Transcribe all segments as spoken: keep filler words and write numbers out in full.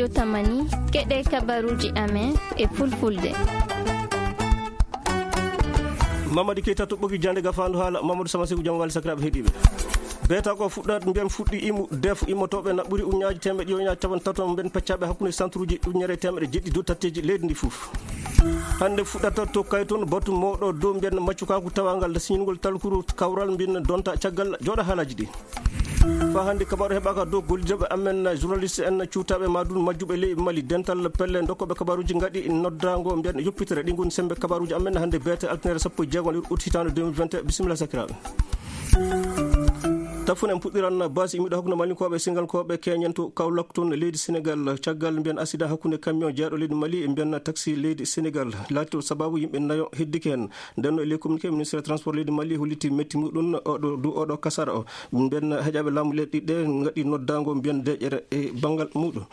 Tamani, keɗe kabaruji amen e fulfulde. Mamadi Keita toɓɓoki jande gafandu haala Mamadou Samasigu, jam wali sakiraɓe heɗiɓe. Beeta ko fuɗɗat mbiyan fuɗɗi imu def imotoɓe na ɓuri uñaji temeɗe ɗiɗi uñaji capantato mbiyan peccaɓe hakkunde centre uji uñere temeɗe jeɗɗi dow tatteji leydi ndi fof. Hande fuɗɗata to kayton batu mawɗo dow mbiyan maccukaku tawangal siñingol talkuru kawral mbin donta caggal jooɗa haalaji ɗi. Fa hande kabaru heɓaka dow gollideɓe amen journaliste en cuutaɓe ma dun majjuɓe ley Mali dental pelle dokkoɓe kabaruji ngaɗi noddago mbiyan yoppitere ɗi gon sembe kabaruji amen hande beete altine sappo e jeego lewru août hitande deux mille vingt et un. Bisimilla sakiraɓe. Tafun en puɗɗiran basi imiɗo hakkunde malinkoɓe singalkoɓe keñen to Kaolack ton leydi Sénégal caggal mbiyan accident hakkunde camion jeeɗo leydi Mali e mbiyan taxi leydi Sénégal laati sababu yimɓe nayo heddike hen. Nden no e ley communiqué ministre transport leydi Mali holliti metti muɗum oɗo du oɗo kasara o. Mbiyan heƴaɓe laamu leyɗe ɗiɗɗe ngaɗi noddago mbiyan deƴere e bangal muɗum.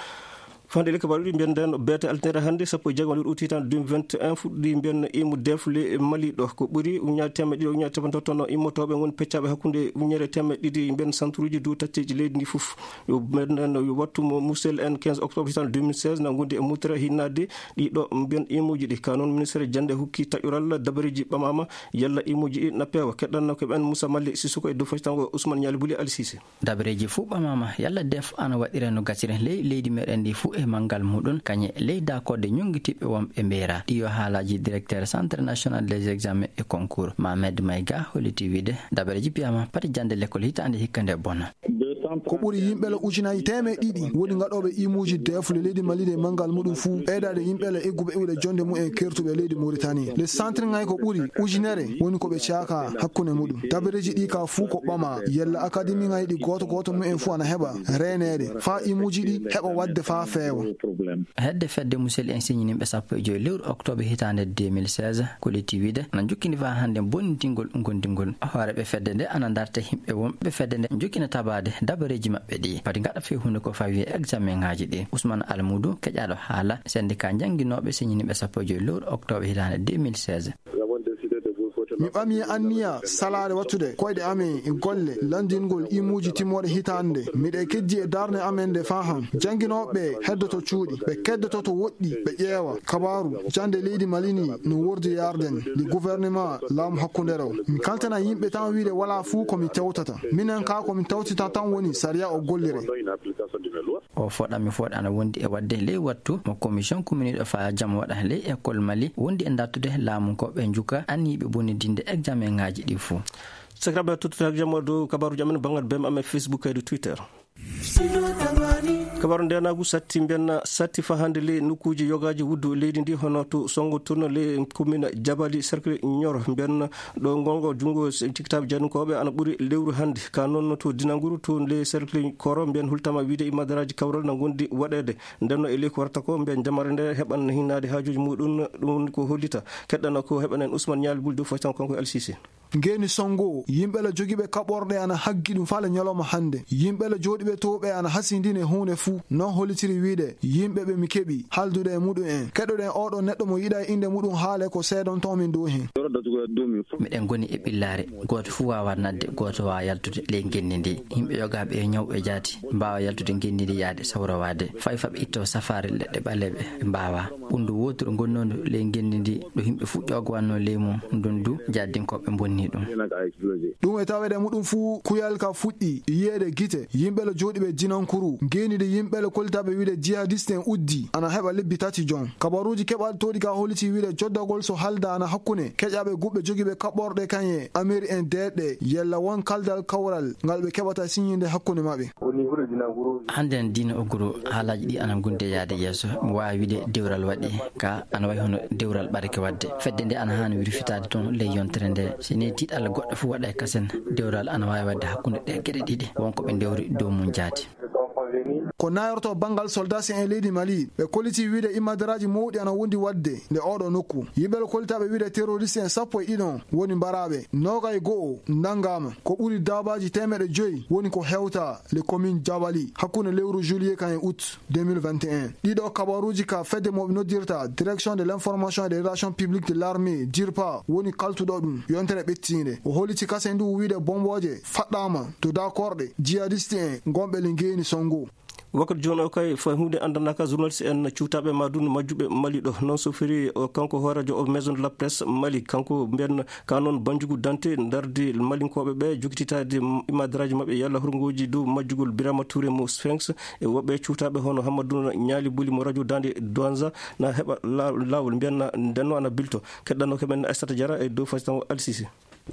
Fande leka baɗuɗi mbiyan nden beete altine hande sappo e jeego lewru août hitande deux mille vingt et un fuɗɗi mbiyan imu defle Mali ɗo ko ɓuri uñaji temeɗe ɗiɗi uñaji capantato no immotoɓe gon peccaɓe hakkunde uñere temeɗe ɗiɗi mbiyan santuruji du tacceji leydi ndi fof. Yo mbiyan nden yo wattu mo musel en quinze octobre hitande deux mille seize na gondi e mutere hinnade ɗiɗo mbiyan imuji ɗi ka noon ministre jande hukki taƴural dabareji ɓamama yalla imuji ɗi na peewa keɗɗanno ko ɓen Moussa Mali Sissoko e dow fasitango Ousmane Niali Bouli Ali Cissé. Dabareji fuu ɓamama yalla def ana waɗira no gasira ley leydi meɗen ndi fuu e mangal muɗum kañe ley dakorde ñongitiɓɓe wonɓe mbeera ɗi yo haalaji directeur centre national des examens e concours Mamed Mayga holliti wiide dabareji piyama pati jande lekkol hitande hikka nde bona. Ko ɓuri yimɓe le ujunaji temeɗe ɗiɗi woni gaɗoɓe imuji defle leydi Mali nde mangal muɗum fuu ɓeydade yimɓe le egguɓe iwɗe jonde mumen kertuɓe leydi Mauritanie le centre ngay ko ɓuri ujunere woni ko ɓe caaka hakkunde muɗum dabareji ɗi ka fuu ko ɓama yalla akademi ngay ɗi goto goto mumen fuu ana heɓa reeneede fa imuji ɗi heɓa waɗde fa feewa. Hedde fedde musel en siñininɓe sappo e joyi lewru octobre hitande deux mille seize kolliti wiide ana jokkini fa hande bonnitingol gondingol hooreɓe fedde nde ana darta yimɓe wonɓe fedde nde jokkina tabade dabareji maɓɓe ɗi pati gaɗa fewhunde ko fawi e examen ngaji ɗi Ousmane Almoudou keƴaɗo haala syndicat jannginoɓe siñininɓe sappo e joyi lewru octobre hitande deux mille seize. Mi ɓami anniya salaare wattude koyɗe amen e golle lanndingol imuuji timmoɗe hitaande nde. Miɗo kejji e darnde amen nde faa han. Jannginooɓe ɓe heddoto cuuɗi, ɓe keddoto to woɗɗi, ɓe ƴeewa kabaaru jannde leydi Mali ni no wordi yarden nde gouvernement laamu hakkundeere o. Mi kaltana yimɓe tan wiide walaa fuu ko mi tewtata. Minen kaa ko mi tewtata tan woni sariya o gollire. O foɗami foɗ ana wondi e waɗde ley wattu mo commission kuminiiɗo faa jam waɗa ley école Mali wondi e dartude laamu ko ɓe njuka anniiɓe bonnidinde examen ŋaaji ɗi fuu. Sakiraaɓe tottude hak jam waɗu kabaaruuji amen banngal B M amen Facebook kaydi Twitter. Kabaaru ndenaagu satti mbiyen satti faa hannde ley nokkuuji yogaaji wuddu leydi ndi hono to Sonngo Tourno ley commune Jabali cercle Nioro mbiyen ɗo ngongo junngo cikkitaaɓe jaadunkooɓe ana ɓuri lewru hannde ka noon to Dinanguru to ley cercle Koro mbiyen hultama wiide imadaraaji kawral na ngondi waɗeede. Ndenno e ley ko warata ko mbiyen jamare nde heɓan hinnaade haajuuji muɗum ɗum ko hollita keɗɗana ko heɓanen Ousmane Nial Buldu foy tan kanko e Alsise. Ngeeni Sonngo yimɓe la jogiiɓe kaɓorɗe ana haggi ɗum faa le ñalawma hannde yimɓe la jooɗiiɓe to ɓe ana hasindini e huunde fuu. Noon hollitiri wiide yimɓe ɓe mi keɓi haaldude e muɗum en keɗoɗen oɗo neɗɗo mo yiɗa e innde muɗum haale ko seedonto min dow heen. Miɗen ngoni e ɓillaare gooto fuu waawaa naatde gooto waawaa yaltude ley ngenndi ndi. Yimɓe yogaaɓe e ñaw e jaati mbaawa yaltude ngenndi ndi yahde sawrowaade fay faa ɓe ittoo safaari leɗɗe ɓaleeɓe ɓe mbaawaa. Ɓunndu wooturu ngonnoondu ley ngenndi ndi ɗo yimɓe fuu ƴoogowannoo ley mum ndun du jaaddin ko ɓe mbonni ɗum. Ɗum e taweede muɗum fuu kuyal ka fuɗɗi yiyeede gite yimɓe le jooɗiiɓe Dinankuru ngeeni ndi yimɓe le kollitaaɓe wiide jihadiste en uddi ana heɓa lebbi tati jon. Kabaruuji keɓaaɗi tooɗi ka holliti wiide joddagol so halda ana hakkunde keƴaaɓe guɓɓe jogiiɓe kaɓorɗe kañe ameri en deeɗɗe yalla won kaldal kawral ngal ɓe keɓata siñinde hakkunde maɓɓe. Hannde en diina ogguru haalaaji ɗi ana ngondi e yahde yeeso mi waawi wiide dewral waɗi ka ana wayi hono dewral ɓadake waɗde fedde nde ana haani wirfitaade toon ley yontere nde. Si nii tiiɗalla goɗɗo fuu waɗa e kasen dewral ana waawi waɗde hakkunde ɗe geɗe ɗiɗi won ko ɓe ndewri dow mum jaati. Ko nayorto banngal soldaasi en leydi Mali ɓe kolliti wiide imadaraaji mawɗi ana wondi waɗde nde oɗo nokku yimɓe le kollitaaɓe wiide teroriste en sappo e ɗiɗon woni mbaraaɓe nooga e go'o nanngaama ko ɓuri daabaaji teemeɗe joyi woni ko hewta le commune Jabali hakkunde lewru juillet kan e août deux mille vingt et un. Ɗiɗo kabaruuji ka fedde mo ɓe noddirta direction de l'information et des relations publiques de l'armée dirpa woni kaltuɗo ɗum yontere ɓettiinde o holliti kasen ndu wiide bombooje faɗɗaama to dakorɗe jihadiste en ngonɓe le ngeeni Sonngo. Wakkati jooni o kay, fay huunde anndanaaka journaliste en cuutaaɓe ma dun majjuɓe Mali ɗo. Noon sofiri o kanko hooreejo o Maison de la Presse Mali, kanko mbiyan ka noon Banjugu Dante ndardi Malinkooɓe ɓe jogititaade imadaraaji maɓɓe yalla hurngooji dow majjugol Birama Touré mo Sphinx e woɓɓe cuutaaɓe hono Hammadou Ñaali Buli mo radio Dande Douanza na heɓa la-, laawol mbiyan na ndenno ana bilto. Keɗɗanno ko men Aissata Diarra e dow Faysal Alsisi.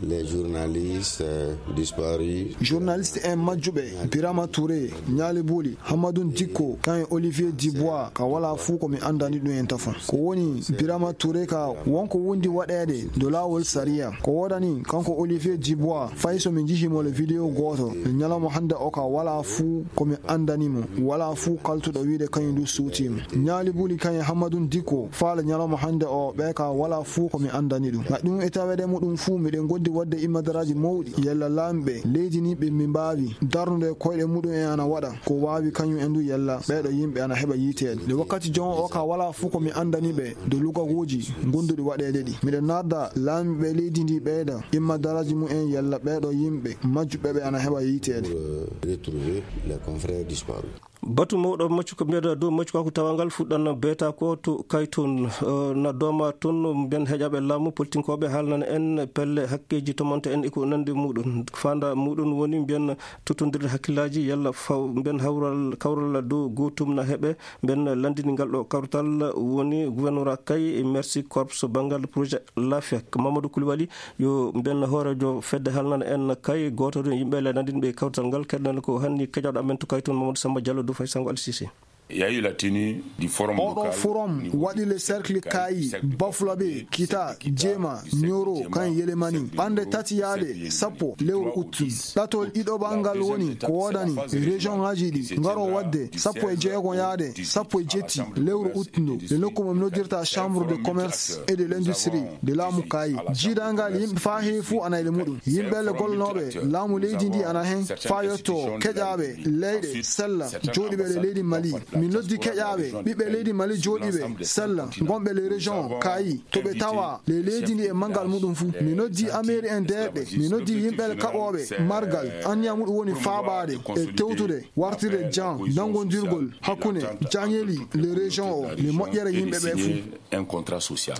Les journalistes, euh, disparus. Journaliste en majjuɓe, Birama Touré, Ñaali Buli, Hammadou Dikko, kan e Olivier Dubois, ka wala fuu ko mi anndani ɗum en tafon. Ko woni Birama Touré ka wonko wondi waɗeede dow laawol sariya. Ko woodani kanko Olivier Dubois, fay so mi njihii mo le vidéo gooto, le ñalawma hannde o ka wala fuu ko mi anndani mo, wala fuu kaltuɗo wiide kañum du suutii mo. Ñaali Buli kan e Hammadou Dikko, faale ñalawma hannde o, ɓe ka wala fuu ko mi anndani ɗum. Ngat ɗum e taweede muɗum fuu, miɗen ngondi waɗde imadaraaji mawɗi. Yalla laamɓe leydi ni ɓe mi mbaawi darnude koyɗe muɗum en ana waɗa ko waawi kañum en du, yalla ɓeeɗo yimɓe ana heɓa yiiteede. Nde wakkati jon o ka wala fuu ko mi anndani ɓe dow lugawuuji ngonduɗi waɗeede ɗi. Miɗen narda laamɓe leydi ndi ɓeyda imadaraaji mumen yalla ɓeeɗo yimɓe majjuɓe ɓe ana heɓa yiiteede. Pour, euh, retrouver les confrères disparus. Batu mawɗo maccuka mbiyata dow maccukaaku tawangal fuɗɗan beeta ko to Kayton, eh, na dooma toon mbiyan heƴaɓe laamu, politinkooɓe haalnan en pelle hakkeeji tomonta en e ko nandi muɗum. Faanda muɗum woni mbiyan tottondirde hakkillaaji yalla faw-, mbiyan hawral, kawral dow gootum na heɓe, mbiyan lanndini ngal ɗo kawtal woni gouvernorat kay e Mercy Corps banngal projet Laafiya. Mamadou Koulibaly yo mbiyan hooreejo fedde haalnan en kay gooto e yimɓe le nanndinɓe kawtal ngal. Keɗɗen ko hanni keƴaɗo amen to Kayton Mamadou Samba Diallo dow Faysal Alsisi. Il y a eu la tenue du forum local. Oɗo forum waɗi le cercle Kayi, Bafulabe, Kita, Jeema, Nioro, kan Yelemani. Ɓannde tati yaade sappo lewru août. Ɗatol ɗiɗoɓal ngal woni ko woodani région ngaji ɗi ngaro waɗde sappo e jeego yaade sappo e jetti lewru août ndu. Le nokku mo noddirta Chambre de Commerce et de l'Industrie de laamu Kayi. Jiidangal yimɓe faa heewi fuu ana e le muɗum. Yimɓe le gollanooɓe laamu leydi ndi ana hen faa yetto keƴaaɓe leyɗe sella jooɗiiɓe le leydi Mali. Mi noddi keƴaaɓe ɓiɓɓe leydi Mali jooɗiiɓe sella ngonɓe le région Kayi to ɓe tawa le leydi ndi e manngal muɗum fuu. Mi noddi ameeri en deeɓɓe. Mi noddi yimɓe le kaɓooɓe margal. Anniya muɗum woni faabaade e tewtude wartirde jan nanngondirgol hakkunde jañeeli le région o le moƴƴere yimɓe ɓe fuu. Un contrat social.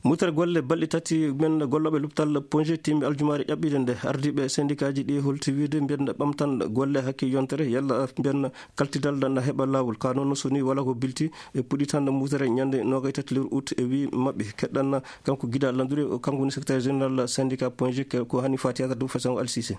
Murtere golle balɗe tati men gollooɓe lopital Ponje timmi aljumaare ƴaɓɓiinde nde. Ardiiɓe sendikaaji ɗi holti wiide mbiyen ɓamtan golle hakke yontere yalla mbiyen kaltidal na heɓa laawol. Ka noon so ni wala ko bilti e puɗɗitan murtere ñande noogay tati lewru août e wi maɓɓe. Keɗɗan kanko Gida Landure, o kanko woni secrétaire général syndicat Ponje ko hani fati yata dow façon Alsise.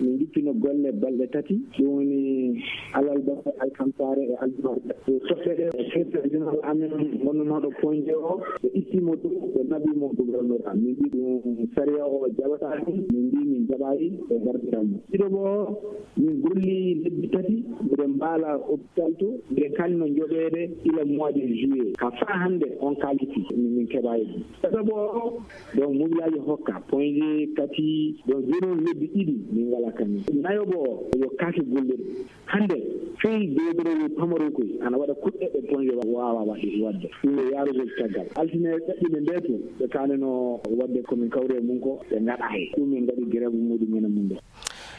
Min njippino golle balɗe tati, ɗum woni alarba, alkamsaare e aljuma. Toɓɓe ɗe, secrétaire général amen ngonnunooɗo Ponje o, ɓe ittii mo ɗum, ɓe naɓi mo gouverneur am. Min mbi ɗum sariya o jaɓataa ɗum, min mbi min jaɓayi, ɓe ngardiran mo. Ɗiɗo o, min golli lebbi tati, mbiɗen mbaala hôpital to, mbiɗen kalino joɓeede ila mois de juillet. Ka faa hannde on kaaliti, min, min keɓayi ɗum. Tataɓo o, donc, mobilaaji hokka, Ponje tati, donc, jooni on lebbi ɗiɗi, min ngalaa kañum. Nayoɓo o, yo kaake gollirɗe. Hannde, fey dewdorowo pamaro koy, ana waɗa kuɗɗe ɗe Ponje wa-, waawa waɗde, waɗde. Ɗum yo yaarugol caggal. Altine ɗaɓɓiinde nde to, ɓe kaanino waɗde ko min kawri e mum ko, ɓe ngaɗaay. Ɗum min ngaɗi grève muɗum en e mum ɗo.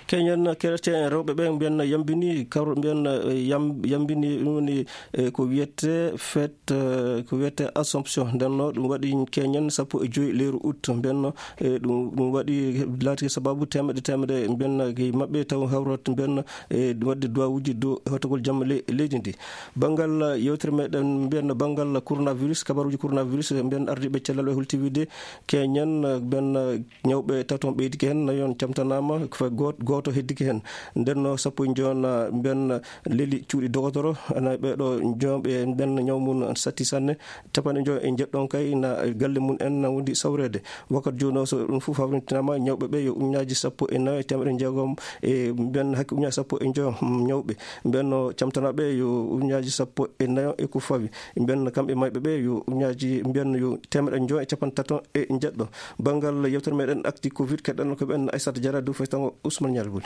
Keñen chrétien rewɓe ɓe mbiyen yambini, kawro mbiyen, eh, yam-, yambini ɗum woni, eh, ko wiyete fête, eh, ko wiyete Assomption. Nden no ɗum waɗi keñen sappo e joy lewru août. Mbiyen no, eh, ɗum, ɗum waɗi laati sababu temeɗe, temeɗe mbiyen e maɓɓe taw hawrat mbiyen, eh, waɗde duwawuji dow hotogol jamma le-, leydi ndi. Banngal yewtere meɗen mbiyen banngal coronavirus, kabaruji coronavirus mbiyen ardiiɓe cellal ɓe holti wiide keñen, eh, mbiyen, eh, ñawɓe taton ɓeydike heen, nayon camtanaama, ko fayi goot-, gooto heddike heen. Nden no sappo e joy na mbiyen leli cuuɗi dogotoro, ana ɓeeɗo joom ɓe mbiyen ñaw mum satti sanne, capanɗe joy e jeɗɗon kay na galle mum en na wondi sawreede. Wakkati jooni o so ɗum fof hawrintinaama, ñawɓe ɓe yo ujunnaaji sappo e nayo e teemedde jeegom e mbiyen hakke ujunnaaji sappo e joy ñawɓe. Mbiyen no camtanaaɓe yo ujunnaaji sappo e nayo e ko fawi. Mbiyen kamɓe mayɓe ɓe yo ujunnaaji, mbiyen yo teemedde joy e capanɗe taton e jeɗɗo. Banngal yewtere meɗen actu covid, keɗɗen ko ɓen Aissata Diarra dow faytango Ousmane Nialbuli.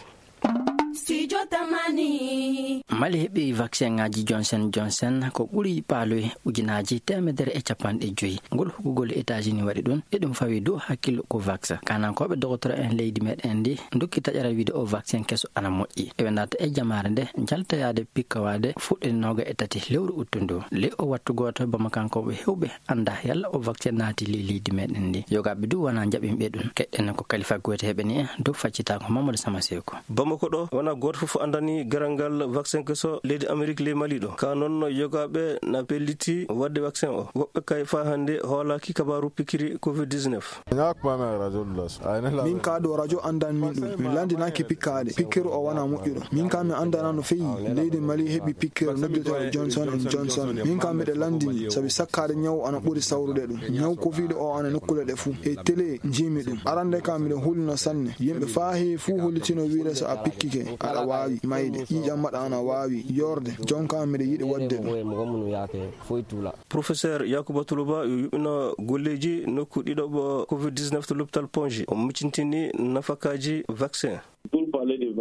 Jotamani. Mali heɓi vaccin ŋaaji Johnson Johnson ko ɓuri paaloy ujunaaji teemedere e capanɗe joyi. Ngol huɓugol États-Unis waɗi ɗum, e ɗum fawi dow hakkillo COVAX. Kaanankooɓe dogotoro en leydi meɗen ndi ndokki taƴara wiide o vaccin keso ana moƴƴi. Eɓe naata e jamaare nde jaltoyaade pikkowaade fuɗɗinooga e tati lewru uttu ndu. Ley o wattu gooto, Bamakankooɓe heewɓe annda yalla o vaccin naati ley leydi meɗen ndi. Yogaaɓe du wona jaɓinɓe ɗum. Keɗɗen ko Kalifa Goyte heɓani en dow faccitaako Mamadou Sama Seko. Bamako ɗo wona gooto fof anndani garal ngal vaccin keso leydi Amérique ley Mali ɗo. Ka noon yogaaɓe na pelliti waɗde vaccin o. Woɓɓe kay faa hannde hoolaaki kabaaru pikiri covid dix-neuf. Min ka ɗo radio anndan min ɗum. Min lanndinaaki pikkaade. Pikkiri o wona moƴƴuɗo. Min ka mi anndana no feyi. Leydi Mali heɓi pikkiri noddeteeɗo Johnson and Johnson. Min ka miɗo lanndini sabi sakkaade ñaw ana ɓuri sawrude ɗum. Ñaw covid o ana nokkuule ɗe fuu. E télé njiimi ɗum. Arande ka miɗo hulino sanne. Yimɓe faa heewi fuu hollitino wiide so a pikkike, aɗa waawi mayde. Ƴiiƴam maɗa ana waawi yoorde. Jonka miɗo yiɗi waɗde ɗum. Professeur Yakuba Tuluba yo yuɓɓino golleeji nokku ɗiɗo ɓo covid dix-neuf to l'hôpital Ponji. O miccintini nafakaaji vaccin.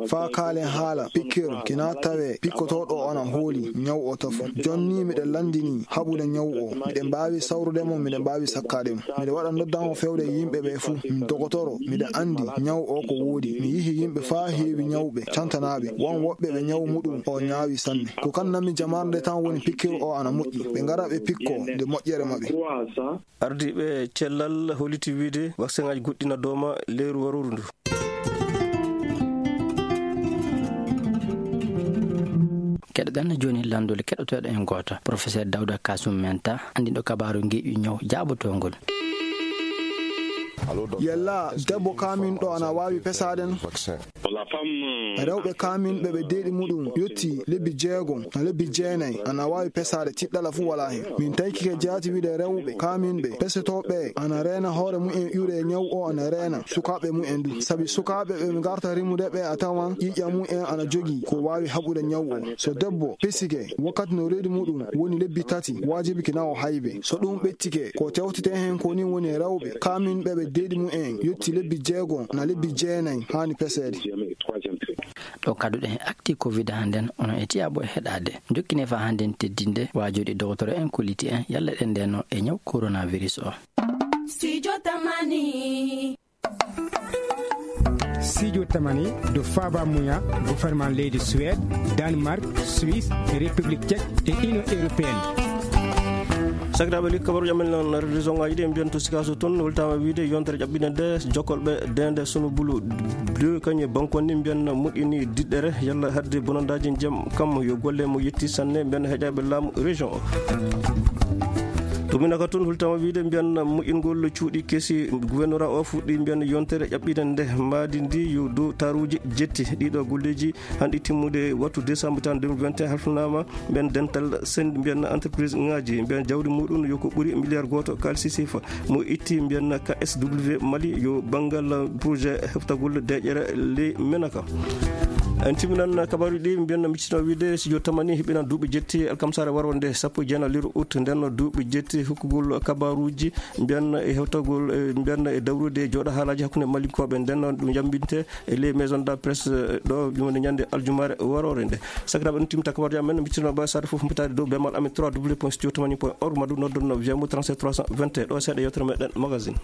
Faa kaalen haala pikkir kina tawe pikkotooɗo ana hooli ñaw o tafo. Jonni miɗo lanndini haɓude ñaw o. Miɗen mbaawi sawrude mo, miɗen mbaawi sakkaade mo. Miɗo waɗa noddan o fewde yimɓe ɓe fuu. Mi dogotoro, miɗo anndi ñaw o ko woodi. Mi yihi yimɓe faa heewi ñawɓe, cantanaaɓe. Won woɓɓe ɓe ñaw muɗum o ñaawi sanne. Ko kan nami jamaare nde tan woni pikkir o ana moƴƴi. Ɓe ngara ɓe pikko nde moƴƴere maɓɓe. Ardiiɓe cellal holliti wiide vaccin aji goɗɗi na dooma leyru warooru ndu. Keɗoɗen jooni lanndol keɗotooɗo en gooto, Professeur Dawda Kasum Menta, anndiɗo kabaaru ngeeƴu ñaw jaabotoongol. Yalla debbo kaaminɗo ana waawi pesaade no? Rewɓe kaaminɓe ɓe deeɗi muɗum yotti lebbi jeego na lebbi jeenay ana waawi pesaade, tiɗɗala fuu walaa hen. Min taykike jaati wiide rewɓe kaaminɓe pesetooɓe ana reena hoore mumen ƴuure e ñaw o ana reena sukaaɓe mumen du. Sabi sukaaɓe ɓe ngarta rimude ɓe a tawan ƴiiƴam mumen ana jogii ko waawi haɓude ñaw o. So debbo pesike wakkati no reedu muɗum woni lebbi tati, waajibi kina o haybe. So ɗum ɓettike, ko tewtete hen ko ni woni rewɓe kaaminɓe ɓe deeɗi mumen yotti lebbi jeego na lebbi jeenay haani peseede. Ɗo kaɗuɗen e actu covid hannden, onon e tiyaaɓo e heɗaade. Jokkine faa hannden teddinde waajooɗi dogotoro en kolliti en yalla ɗen ndeno e ñaw coronavirus o. Studio Tamani. Studio Tamani do faaba muya gouvernement leydi Suède, Danemark, Suisse, République Tchèque e Union Européenne. Sakiraaɓe, li kabaruuji amen non région ngaji ɗi, en mbiyan to Sikaso toon, holtama wiide yontere ƴaɓɓinde nde, jokkolɓe dende Sunu Bulu deux kañum e Bankon ni mbiyan moƴƴini diɗɗere, yalla hadde bonandaaji ndiyam kam yo golle mo yetti sanne, mbiyan heƴaaɓe laamu région o. To Minaka toon, holtama wiide mbiyan moƴƴingol cuuɗi kesi gouvernorat o fuɗɗi mbiyan yontere ƴaɓɓinde nde, mbaadi ndi yo dow taruuji jetti. Ɗiɗo golleeji hanɗi timmude wattu décembre tan deux mille vingt et un halfinaama. Mbiyan dental sendi mbiyan entreprise ngaji mbiyan jawdi muɗum yo ko ɓuri milliard gooto kaalisi sifa mo itti mbiyan K S W Mali yo banngal projet heftagol deƴƴere ley Menaka. En timminan kabaruuji ɗi mbiyan miccino wiide studio Tamani heɓinan duuɓi jetti alkamsare waro nde sappo e jeenayi lewru août nden duuɓi jetti hokkugol kabaruuji mbiyan e hewtagol, e mbiyan e dawrude e jooɗo haalaaji hakkunde Malinkooɓe nden ɗum yambinte e les maisons de la presse, eh, ɗo ɗum woni ñande aljumare warore nde. Sakiraaɓe, ɗum timta kabaruuji amen, mbittino ba saare fof mbitaade dow bemal amen trois W point studio tamani point org, madu noddon no W M O trente-sept trois cent vingt et un, ɗo seeɗa yewtere meɗen magazine.